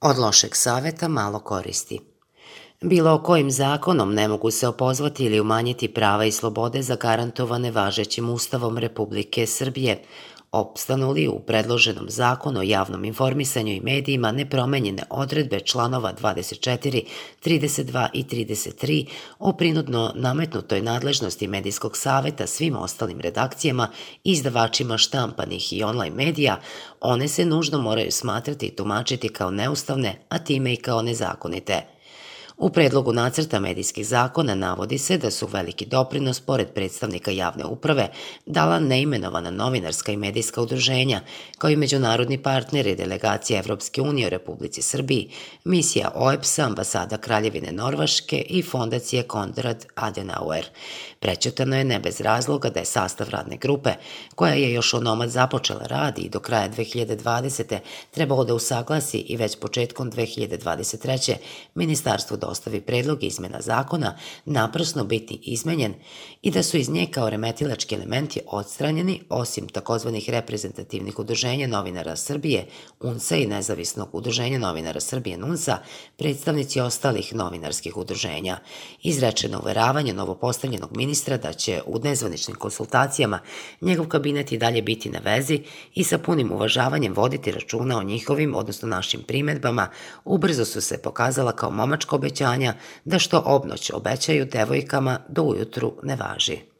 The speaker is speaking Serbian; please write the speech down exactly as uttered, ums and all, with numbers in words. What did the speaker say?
Od lošeg saveta malo koristi. Bilo kojim zakonom ne mogu se opozvati ili umanjiti prava i slobode zagarantovane važećim Ustavom Republike Srbije, opstanu li u predloženom zakonu o javnom informisanju i medijima nepromenjene odredbe članova dvadeset četiri, trideset dva i trideset tri o prinudno nametnutoj nadležnosti medijskog saveta svim ostalim redakcijama i izdavačima štampanih i online medija, one se nužno moraju smatrati i tumačiti kao neustavne, a time i kao nezakonite. U predlogu nacrta medijskih zakona navodi se da su veliki doprinos, pored predstavnika javne uprave, dala neimenovana novinarska i medijska udruženja, kao i međunarodni partneri delegacije Evropske unije u Republici Srbiji, misija O E B S-a, ambasada Kraljevine Norveške i fondacije Konrad Adenauer. Prećutano je ne bez razloga da je sastav radne grupe, koja je još onomad započela rad i do kraja dve hiljade dvadesete. trebalo da usaglasi i već početkom dve hiljade dvadeset treće. ministarstvo dostavi predlog izmena zakona, naprasno biti izmenjen i da su iz nje kao remetilački elementi odstranjeni, osim takozvanih reprezentativnih udruženja novinara Srbije, U N S A i nezavisnog udruženja novinara Srbije N U N S A, predstavnici ostalih novinarskih udruženja. Izrečeno uveravanje novopostavljenog ministra da će u nezvaničnim konsultacijama njegov kabinet i dalje biti na vezi i sa punim uvažavanjem voditi računa o njihovim, odnosno našim primedbama, ubrzo su se pokazala kao momačko obećanja da što obnoć obećaju devojkama do ujutru ne važi.